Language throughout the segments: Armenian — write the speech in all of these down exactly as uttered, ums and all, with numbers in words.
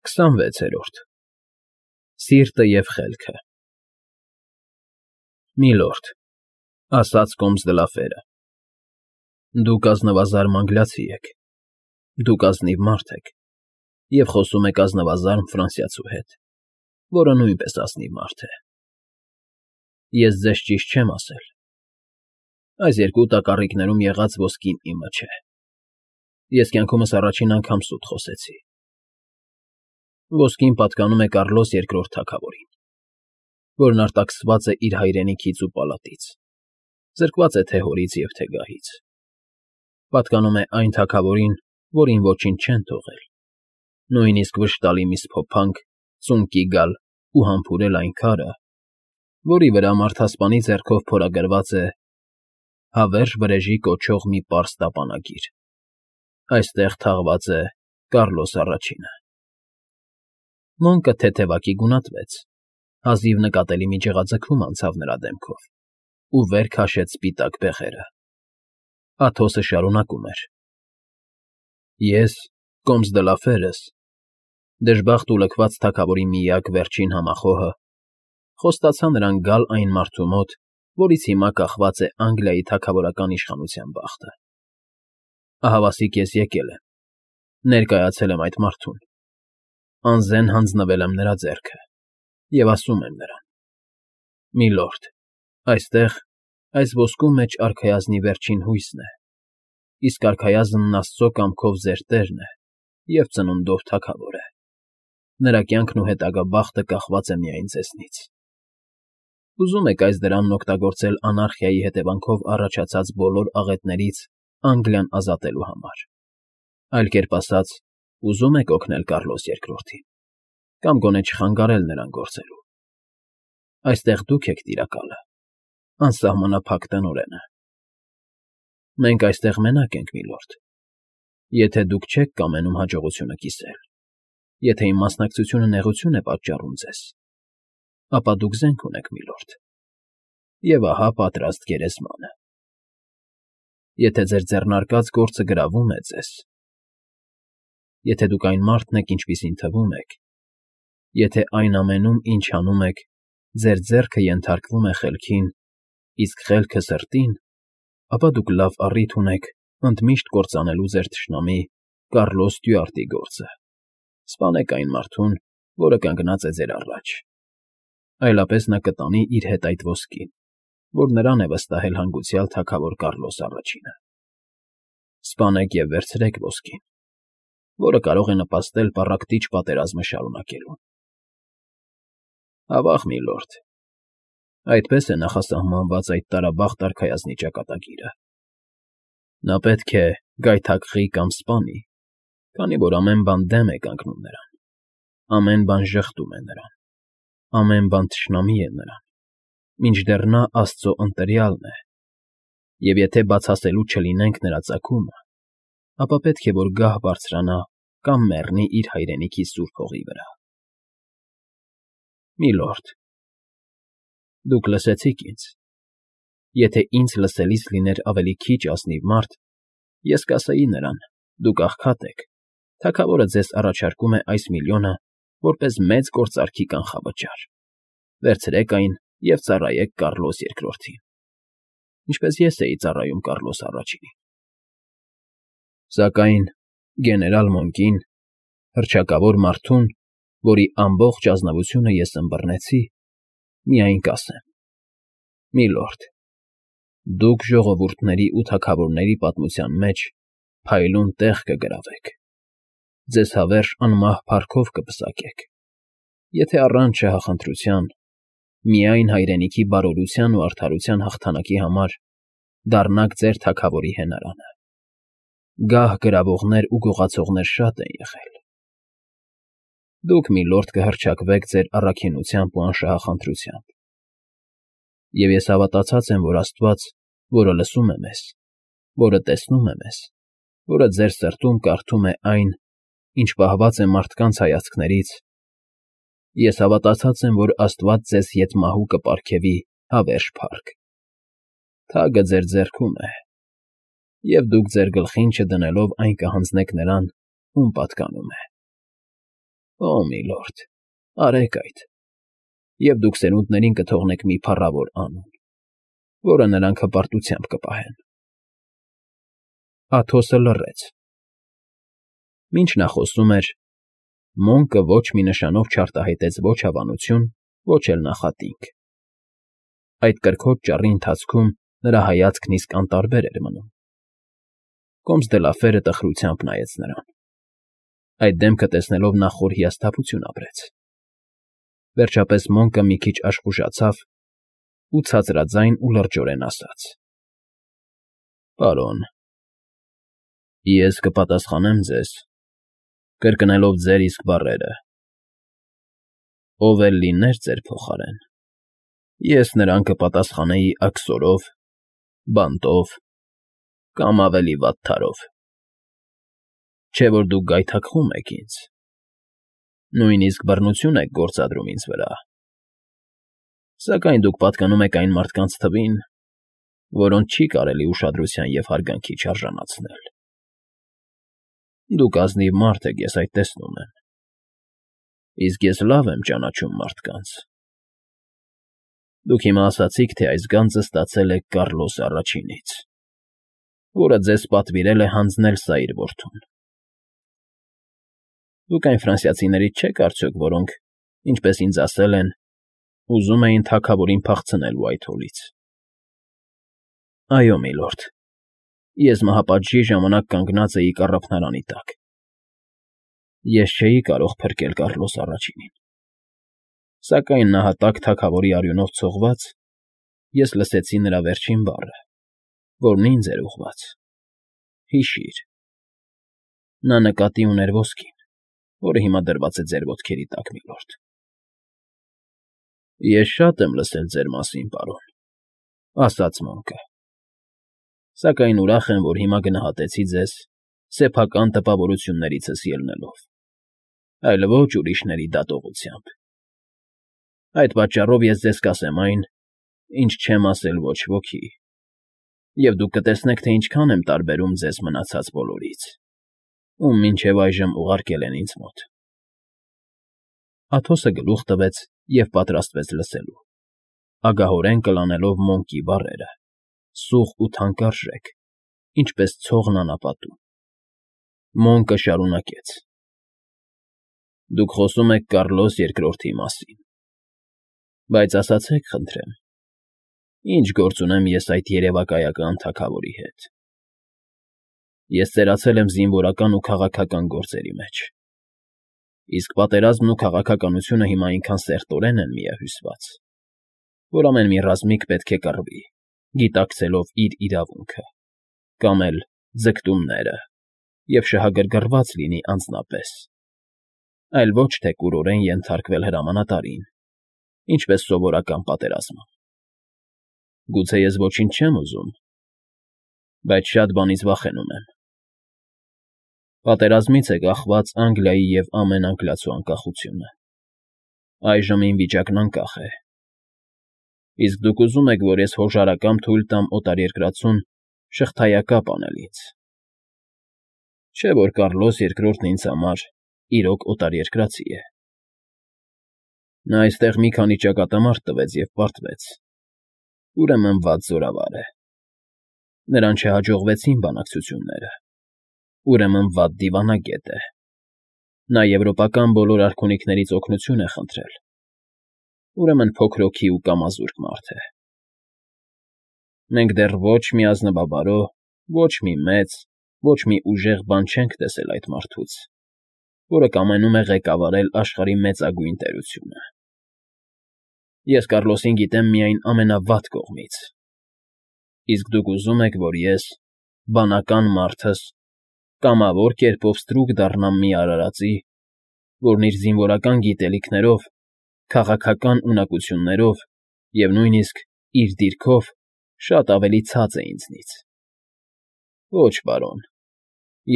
քսանվեցերորդ Սիրտը և խելքը Միլորդ, ասաց կոմս Դլաֆերը, դուք ազնվազարմ անգլիացի եք, դուք ազնիվ մարդ եք և խոսում եք ազնվազարմ ֆրանսիացու հետ, որը նույնպես ազնիվ մարդ է. ես ձեզ ճիշտ չեմ ասել, այս երկու տակառիկներում եղած ոսկին իմը չէ, ես կյանքումս առաջին անգամ սուտ խոսեցի, ոսկին պատկանում է Կառլոս Երկրորդ թագավորին, որն արտաքսված է իր հայրենիքից ու պալատից, զրկված է թե՛ հորից և թե՛ գահից, պատկանում է այն թագավորին, որին ոչինչ չեն թողել, նույնիսկ վշտալի մի սփոփանք ծունկի գալ ու համբուրել այն քարը, որի վրա մարդասպանի ձեռքով փորագրված է «Հավերժ Վրեժի» կոչող մի պարզ տապանագիր. այստեղ թաղված է Կառլոս Առաջինը։ Մոնկը թեթևակի գունատվեց, հազիվ նկատելի մի ջղաձգում անցավ նրա դեմքով ու վեր քաշեց սպիտակ բեղերը։ Աթոսը շարունակում էր. Ես, կոմս Դլաֆերս, դժբախտ ու լքված թագավորի միակ վերջին համախոհը, խոստացա նրան գալ այն մարդու մոտ, որից հիմա կախված է Անգլիայի թագավորական իշխանության բախտը։ Ահավասիկ ես եկել եմ, ներկայացել եմ այդ մարդուն, անզեն հանձնվել եմ նրա ձեռքը և ասում եմ նրան. «Միլորդ, այստեղ, այս ոսկու մեջ արքայազնի վերջին հույսն է, իսկ արքայազնն Աստծո կամքով ձեր տերն է և ծնունդով թագավոր է, նրա կյանքն ու հետագա բախտը կախված է միայն ձեզնից։ Ուզում եք այս դրանն օգտագործել անարխիայի հետևանքով առաջացած բոլոր աղետներից Անգլիան ազատելու համար, այլ կերպ ասած, ուզում եք օգնել Կառլոս Երկրորդին, կամ գոնե չխանգարել նրան գործելու։ Այստեղ դուք եք տիրակալը, անսահմանափակ տնօրենը։ Մենք այստեղ մենակ ենք, միլորդ, եթե դուք չեք կամենում հաջողությունը կիսել, եթե իմ մասնակցությունը նեղություն է պատճառում ձեզ, ապա դուք զենք ունեք, միլորդ, և ահա պատրաստ գերեզմանը։ Եթե ձեր ձեռնարկած գործը գրավում է ձեզ, եթե դուք այն մարդն եք, ինչպիսին թվում եք, եթե այն ամենում, ինչ անում եք, ձեր ձեռքը ենթարկվում է խելքին, իսկ խելքը՝ սրտին, ապա դուք լավ առիթ ունեք ընդմիշտ կործանելու ձեր թշնամի Կառլոս Ստյուարտի գործը, սպանեք այն մարդուն, որը կանգնած է ձեր առաջ, այլապես նա կտանի իր հետ այդ ոսկին, որ նրան է վստահել հանգուցյալ թագավոր Կառլոս Առաջինը։ Սպանեք և վերցրեք ոսկին, որը կարող է նպաստել պառակտիչ պատերազմը շարունակելուն։ Ավա՜ղ, միլորդ, այդպես է նախասահմանված այդ տարաբախտ արքայազնի ճակատագիրը։ Նա պետք է գայթակղի կամ սպանի, քանի որ ամեն բան դեմ է կանգնում նրան, ամեն բան ժխտում է նրան, ամեն բան թշնամի է նրան, մինչդեռ նա Աստծո ընտրյալն է, և եթե բացասելու չլինենք նրա ծագումը, ապա պետք է որ գահ բարձրանա կամ մեռնի իր հայրենիքի սուրբ հողի վրա։ Միլորդ, դուք լսեցիք ինձ, եթե ինձ լսելիս լիներ ավելի քիչ ազնիվ մարդ, ես կասեի նրան. դուք աղքատ եք, թագավորը ձեզ առաջարկում է այս միլիոնը որպես մեծ գործարքի կանխավճար, վերցրեք այն և ծառայեք Կառլոս Երկրորդին, ինչպես ես էի ծառայում Կառլոս Առաջինին։ Սակայն գեներալ Մոնկին, հռչակավոր մարդուն, որի ամբողջ ազնվությունը ես ըմբռնեցի, միայն կասեմ. միլորդ, դուք ժողովուրդների ու թագավորների պատմության մեջ փայլուն տեղ կգրավեք, ձեզ հավերժ անմահ փառքով կպսակեք, եթե առանց շահախնդրության, միայն հայրենիքի բարօրության ու արդարության հաղթանակի համար դառնաք ձեր թագավորի հենարանը։ Գահ գրավողներ ու գողացողներ շատ են եղել։ Դուք, միլորդ, կհռչակվեք ձեր առաքինությամբ ու անշահախնդրությամբ։ Եվ ես հավատացած եմ, որ Աստված, որը լսում է մեզ, որը տեսնում է մեզ, որը ձեր սրտում կարդում է այն, ինչ պահված է մարդկանց հայացքներից, ես հավատացած եմ, որ Աստված ձեզ ետ մահու կպարգևի հավերժ փառք։ Թագը ձեր ձեռքում է, և դուք ձեր գլխին չդնելով այն կհանձնեք նրան, ում պատկանում է։ Օ, միլորդ, արեք այդ, և դուք սերունդներին կթողնեք մի փառավոր անուն, որը նրանք հպարտությամբ կպահեն։ Աթոսը լռեց։ Մինչ նա խոսում էր, Մոնկը ոչ մի նշանով չարտահայտեց ոչ հավանություն, ոչ էլ նախատինք։ Այդ կրքոտ ճառի ընթացքում նրա հայացքն իսկ անտարբեր էր մնում։ Կոմս դե Լաֆերը տխրությամբ նայեց նրան։ Այդ դեմքը տեսնելով նա խոր հիասթափություն ապրեց։ Վերջապես Մոնկը մի քիչ աշխուժացավ ու ցածրաձայն ու լրջորեն ասաց. Պարոն, ես կպատասխանեմ ձեզ, կրկնելով ձեր իսկ բառերը. ով էլ լիներ ձեր փոխարեն, ես նրան կպատասխանեի աքսորով, բանտով կամ ավելի վատթարով։ Չէ որ դուք գայթակղում եք ինձ, նույնիսկ բռնություն եք գործադրում ինձ վրա, սակայն դուք պատկանում եք այն մարդկանց թվին, որոնց չի կարելի ուշադրության և հարգանքի չարժանացնել։ Դուք ազնիվ մարդ եք, ես այդ տեսնում եմ, իսկ ես լավ եմ ճանաչում մարդկանց։ Դուք հիմա ասացիք, թե այս գանձը ստացել եք Կառլոս Առաջինից, որը ձեզ պատվիրել է հանձնել սա իր որդուն։ Դուք այն ֆրանսիացիներից չեք արդյոք, որոնք, ինչպես ինձ ասել են, ուզում էին թագավորին փախցնել Ուայթհոլից։ Այո, միլորդ, ես մահապատժի ժամանակ կանգնած էի կառափնարանի տակ։ Ես չէի կարող փրկել Կառլոս Առաջինին, սակայն նահատակ թագավորի արյունով ցողված, ես լսեցի նրա վերջին բառը, որն ինձ էր ուղղված. հիշիր։ Նա նկատի ուներ ոսկին, որը հիմա դրված է ձեր ոտքերի տակ, միլորդ։ Ես շատ եմ լսել ձեր մասին, պարոն, ասաց Մոնկը, սակայն ուրախ եմ, որ հիմա գնահատեցի ձեզ սեփական տպավորություններիցս ելնելով, այլ ոչ ուրիշների դատողությամբ։ Այդ պատճառով ես ձեզ կասեմ այն, ինչ չեմ ասել ոչ ոքի, և դուք կտեսնեք, թե ինչքան եմ տարբերում ձեզ մնացած բոլորից, ում մինչև այժմ ուղարկել են ինձ մոտ։ Աթոսը գլուխ տվեց և պատրաստվեց լսելու, ագահորեն կլանելով Մոնկի բառերը, սուղ ու թանկարժեք, ինչպես ցողն անապատում։ Մոնկը շարունակեց. Դուք խոսում եք Կառլոս Երկրորդի մասին, բայց ասացեք, խնդրեմ, ինչ գործ ունեմ ես այդ երևակայական թագավորի հետ։ Ես ծերացել եմ զինվորական ու քաղաքական գործերի մեջ, իսկ պատերազմն ու քաղաքականությունը հիմա այնքան սերտորեն են միահյուսված, որ ամեն մի ռազմիկ պետք է կռվի, գիտակցելով իր իրավունքը, կամ էլ ձգտումները և շահագրգռված լինի անձնապես, այլ ոչ թե կուրորեն ենթարկվել հրամանատարին, ինչպես սովորական պատերազմում։ Գուցե ես ոչինչ չեմ ուզում, բայց շատ բանից վախենում եմ։ Պատերազմից է կախված Անգլիայի և ամեն անգլիացու անկախությունը։ Այժմ իմ վիճակն անկախ է։ Իսկ դուք ուզում եք, որ ես հոժարակամ թույլ տամ օտարերկրացուն շղթայակապ անել ինձ։ Չէ՞ որ Կառլոս Երկրորդն ինձ համար իրոք օտարերկրացի է։ Նա այստեղ մի քանի ճակատամարտ տվեց և պարտվեց, ուրեմն վատ զորավար է։ Նրան չհաջողվեցին բանակցությունները, ուրեմն վատ դիվանագետ է։ Նա եվրոպական բոլոր արքունիքներից օգնություն է խնդրել, ուրեմն փոքրոքի ու կամազուրկ մարդ է։ Մենք դեռ ոչ մի ազնվաբարո, ոչ մի մեծ, ոչ մի ուժեղ բան չենք տեսել այդ մարդուց, որը կամենում է ղեկավարել աշխարհի մեծագույն տերությունը։ Ես Կառլոսին գիտեմ միայն ամենավատ կողմից, իսկ դուք ուզում եք, որ ես, բանական մարդս, կամավոր կերպով ստրուկ դառնամ մի արարածի, որն իր զինվորական գիտելիքներով, քաղաքական ունակություններով և նույնիսկ իր դիրքով շատ ավելի ցած է ինձնից։ Ոչ, պարոն,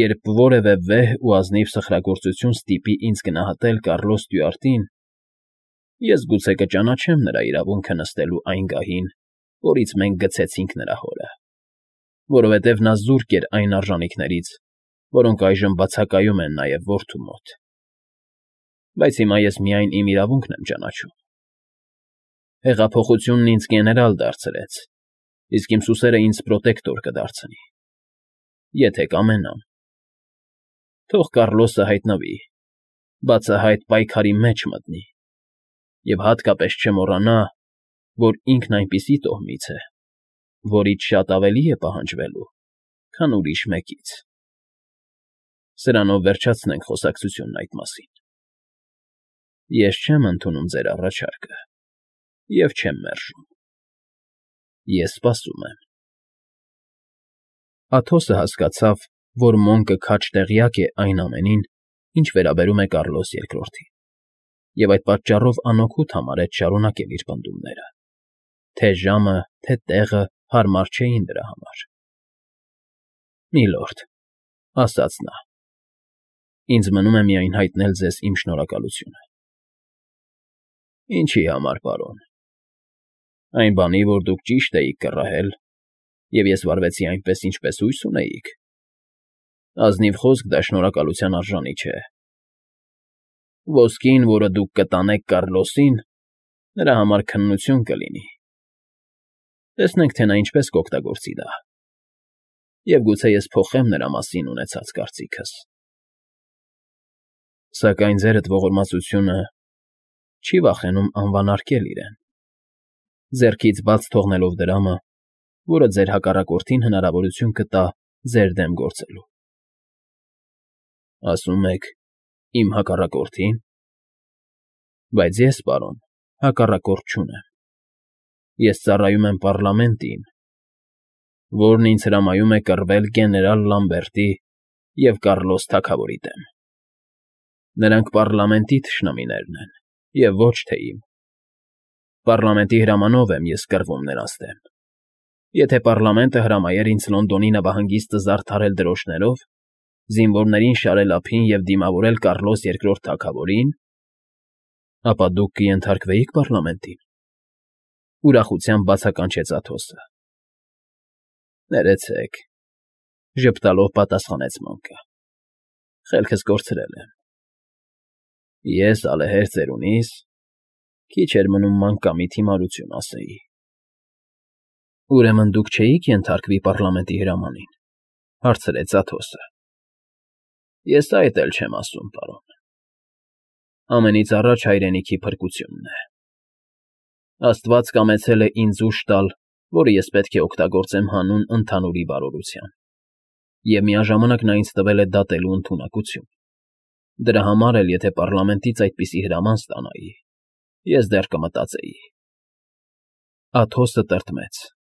երբ որևէ վեհ ու ազնիվ սխրագործություն ստիպի ինձ գնահատել Կառլոս Ստյուարտին, ես գուցե կճանաչեմ նրա իրավունքը նստելու այն գահին, որից մենք գցեցինք նրա հորը, որովհետև նա զուրկ էր այն արժանիքներից, որոնք այժմ բացակայում են նաև որդու մոտ։ Բայց հիմա ես միայն իմ իրավունքն եմ ճանաչում։ Հեղափոխությունն ինձ գեներալ դարձրեց, իսկ իմ սուսերն ինձ պրոտեկտոր կդարձնի, եթե կամենամ։ Թող Կառլոսը հայտնվի, բացահայտ պայքարի մեջ մտնի և հատկապես չմոռանա, որ ինքն այնպիսի տոհմից է, որից շատ ավելի է պահանջվելու, քան ուրիշ մեկից։ Սրանով վերջացնենք խոսակցությունն այդ մասին։ Ես չեմ ընդունում ձեր առաջարկը և չեմ մերժում։ Ես սպասում եմ։ Աթոսը հասկացավ, որ Մոնկը քաջ տեղյակ է այն ամենին, ինչ վերաբերում է Կառլոս Երկրորդին, և այդ պատճառով անօգուտ համարեց շարունակել իր պնդումները, թե ժամը, թե տեղը հարմար չէին դրա համար։ ֊ Միլորդ,֊ ասաց նա,֊ ինձ մնում է միայն հայտնել ձեզ իմ շնորհակալությունը։ ֊ Ինչի համար, պարոն։ Այն բանի, որ դուք ճիշտ էիք կռահել, և ես վարվեցի այնպես, ինչպես հույս ունեիք։ Ազնիվ խոսք դա շնորհակալության արժանի չէ։ Ոսկին, որը դուք կտանեք Կառլոսին, նրա համար քննություն կլինի։ Տեսնենք, թե նա ինչպես կօգտագործի դա, և գուցե ես փոխեմ նրա մասին ունեցած կարծիքս։ Սակայն ձերդ ողորմածությունը չի վախենում անվանարկել իրեն, ձեռքից բաց թողնելով դրամը, որը ձեր հակառակորդին հնարավորություն կտա ձեր դեմ գործելու։ ֊ Ասում եք իմ հակառակորդի՞ն։ Բայց ես, պարոն, հակառակորդ չունեմ։ Ես ծառայում եմ պառլամենտին, որն ինձ հրամայում է կռվել գեներալ Լամբերտի և Կառլոս թագավորի դեմ։ Նրանք պառլամենտի թշնամիներն են, և ոչ թե իմ։ Պառլամենտի հրամանով եմ ես կռվում նրանց դեմ։ Եթե պառլամենտը հրամայեր ինձ Լոնդոնի նավահանգիստը զարդարել դրոշներով, զինվորներին շարել ափին և դիմավորել Կառլոս Երկրորդ թագավորին, ապա դուք կենթարկվեի՞ք պառլամենտին,֊ ուրախությամբ բացականչեց Աթոսը։ ֊ Ներեցեք,֊ ժպտալով պատասխանեց Մոնկը,֊ խելքս կորցրել եմ։ Ես ալեհեր ծերունիս քիչ էր մնում մանկամիտ հիմարություն ասեի։ ֊ Ուրեմն դուք չէիք ենթարկվի պառլամենտի հրամանին,֊ հարցրեց Աթոսը։ ֊ Ես այդ էլ չեմ ասում, պարոն։ Ամենից առաջ հայրենիքի փրկությունն է։ Աստված կամեցել է ինձ ուժ տալ, որը ես պետք է օգտագործեմ հանուն ընդհանուրի բարօրության, և միաժամանակ նա ինձ տվել է դատելու ընդունակություն։ Դրա համար էլ, եթե պառլամենտից այդպիսի հրաման ստանայի, ես դեռ կմտածեի։ Աթոսը տրտմեց։